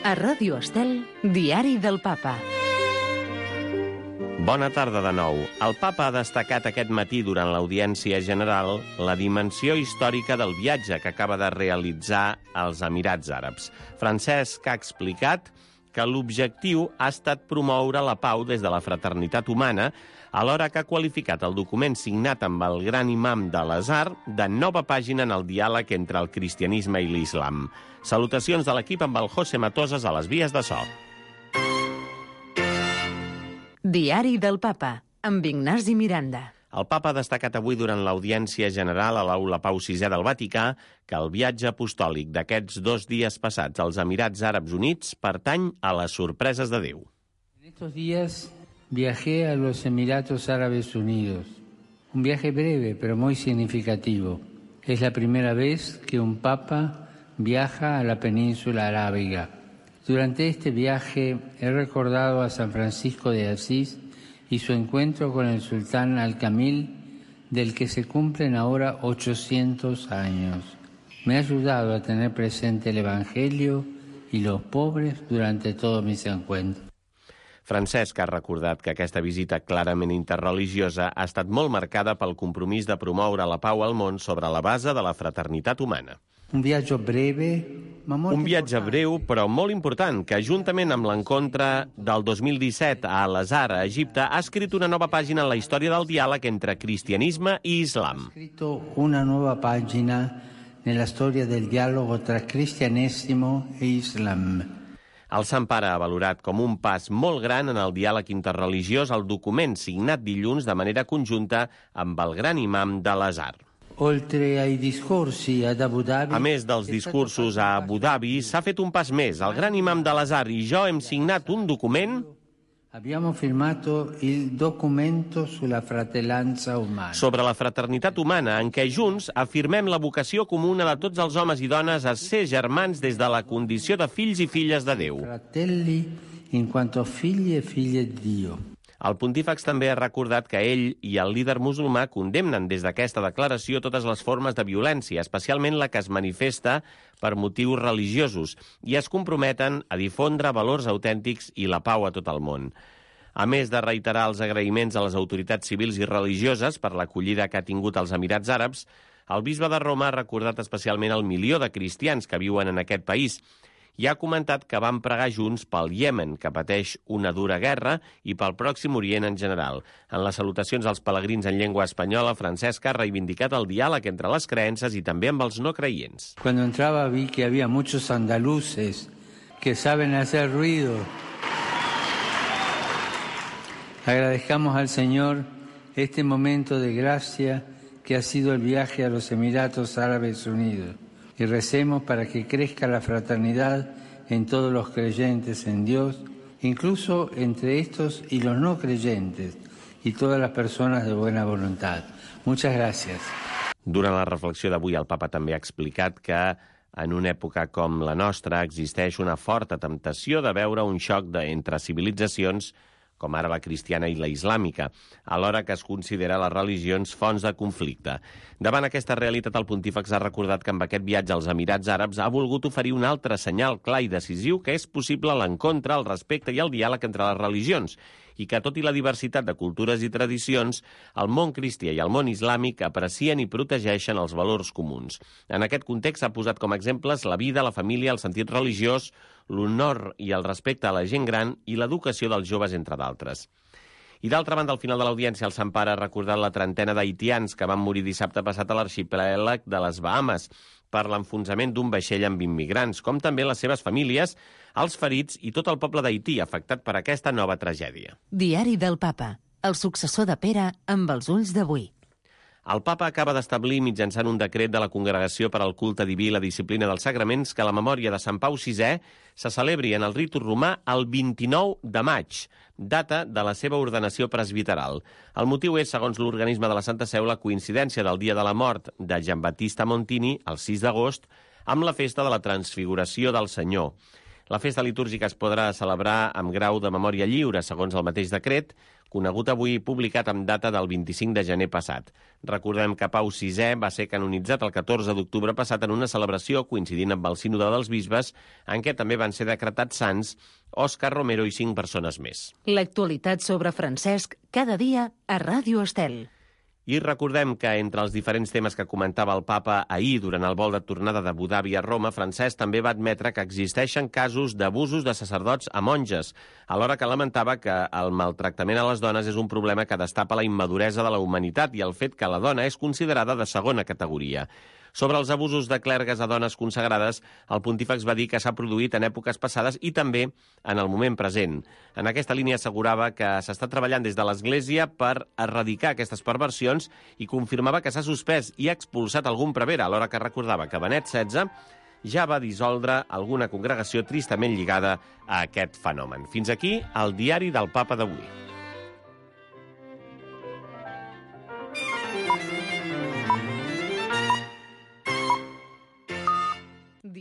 A Ràdio Estel, Diari del Papa. Bona tarda de nou. El Papa ha destacat aquest matí durant l'audiència general la dimensió històrica del viatge que acaba de realitzar als Emirats Àrabs. Francesc ha explicat que l'objectiu ha estat promoure la pau des de la fraternitat humana, alhora que ha qualificat el document signat amb el gran imam de l'Azhar de nova pàgina en el diàleg entre el cristianisme i l'islam. Salutacions de l'equip amb el José Matosas a les vies de so. Diari del Papa, amb Ignasi Miranda. El Papa ha destacat avui durant l'audiència general a l'Aula Pau VI del Vaticà que el viatge apostòlic d'aquests 2 dies passats als Emirats Àrabs Units pertany a les sorpreses de Déu. En estos días viajé a los Emiratos Árabes Unidos. Un viaje breve, pero muy significativo. Es la primera vez que un papa viaja a la península arábiga. Durante este viaje he recordado a San Francisco de Asís y su encuentro con el sultán Al-Kamil, del que se cumplen ahora 800 años. Me ha ayudado a tener presente el Evangelio y los pobres durante todos mis encuentros. Francesc ha recordat que aquesta visita clarament interreligiosa ha estat molt marcada pel compromís de promoure la pau al món sobre la base de la fraternitat humana. Un viatge breu, però molt important, que juntament amb l'encontre del 2017 a Al-Azhar, a Egipte, ha escrit una nova pàgina en la història del diàleg entre cristianisme i islam. Ha escrito una nueva página en la historia del diálogo tra cristianesimo e islam. El Sant Pare ha valorat com un pas molt gran en el diàleg interreligiós el document signat dilluns de manera conjunta amb el gran imam de l'Azhar. A més dels discursos a Abu Dhabi, s'ha fet un pas més. El gran imam de l'Azhar i jo hem signat un document sobre la fraternitat humana, en què junts afirmem la vocació comuna de tots els homes i dones a ser germans des de la condició de fills i filles de Déu. El pontífex també ha recordat que ell i el líder musulmà condemnen des d'aquesta declaració totes les formes de violència, especialment la que es manifesta per motius religiosos, i es comprometen a difondre valors autèntics i la pau a tot el món. A més de reiterar els agraïments a les autoritats civils i religioses per l'acollida que ha tingut als Emirats Àrabs, el bisbe de Roma ha recordat especialment el 1 milió de cristians que viuen en aquest país i ha comentat que van pregar junts pel Iemen, que pateix una dura guerra, i pel Pròxim Orient en general. En les salutacions als pelegrins en llengua espanyola, Francesc ha reivindicat el diàleg entre les creences i també amb els no creients. Cuando entraba vi que había muchos andaluces que saben hacer ruido. Agradezcamos al Señor este momento de gracia que ha sido el viaje a los Emiratos Árabes Unidos. Y recemos para que crezca la fraternidad en todos los creyentes en Dios, incluso entre estos y los no creyentes, y todas las personas de buena voluntad. Muchas gracias. Durant la reflexió d'avui, el Papa també ha explicat que en una època com la nostra existeix una forta temptació de veure un xoc entre civilitzacions com ara la cristiana i la islàmica, alhora que es considera les religions fonts de conflicte. Davant aquesta realitat, el pontífex ha recordat que amb aquest viatge als Emirats Àrabs ha volgut oferir un altre senyal clar i decisiu que és possible l'encontre, el respecte i el diàleg entre les religions, i que, tot i la diversitat de cultures i tradicions, el món cristià i el món islàmic aprecien i protegeixen els valors comuns. En aquest context s'ha posat com a exemples la vida, la família, el sentit religiós, l'honor i el respecte a la gent gran i l'educació dels joves, entre d'altres. I d'altra banda, al final de l'audiència, el Sant Pare ha recordat la trentena d'haitians que van morir dissabte passat a l'arxipèlag de les Bahames per l'enfonsament d'un vaixell amb immigrants, com també les seves famílies, els ferits i tot el poble d'Haití afectat per aquesta nova tragèdia. Diari del Papa, el successor de Pere amb els ulls d'avui. El Papa acaba d'establir, mitjançant un decret de la Congregació per al Culte Diví i la Disciplina dels Sagraments, que la memòria de Sant Pau VI se celebri en el ritu romà el 29 de maig, data de la seva ordenació presbiteral. El motiu és, segons l'organisme de la Santa Seu, la coincidència del dia de la mort de Giambattista Montini, el 6 d'agost, amb la festa de la Transfiguració del Senyor. La festa litúrgica es podrà celebrar amb grau de memòria lliure, segons el mateix decret, conegut avui i publicat amb data del 25 de gener passat. Recordem que Pau VI va ser canonitzat el 14 d'octubre passat en una celebració coincidint amb el Sínode dels Bisbes, en què també van ser decretats sants Òscar Romero i 5 persones més. L'actualitat sobre Francesc cada dia a Ràdio Estel. I recordem que entre els diferents temes que comentava el papa ahir durant el vol de tornada d'Abu Dhabi a Roma, Francesc també va admetre que existeixen casos d'abusos de sacerdots a monges, alhora que lamentava que el maltractament a les dones és un problema que destapa la immaduresa de la humanitat i el fet que la dona és considerada de segona categoria. Sobre els abusos de clergues a dones consagrades, el pontífex va dir que s'ha produït en èpoques passades i també en el moment present. En aquesta línia assegurava que s'està treballant des de l'Església per erradicar aquestes perversions i confirmava que s'ha suspès i expulsat algun prevere, alhora que recordava que Benet XVI ja va dissoldre alguna congregació tristament lligada a aquest fenomen. Fins aquí el diari del Papa d'avui.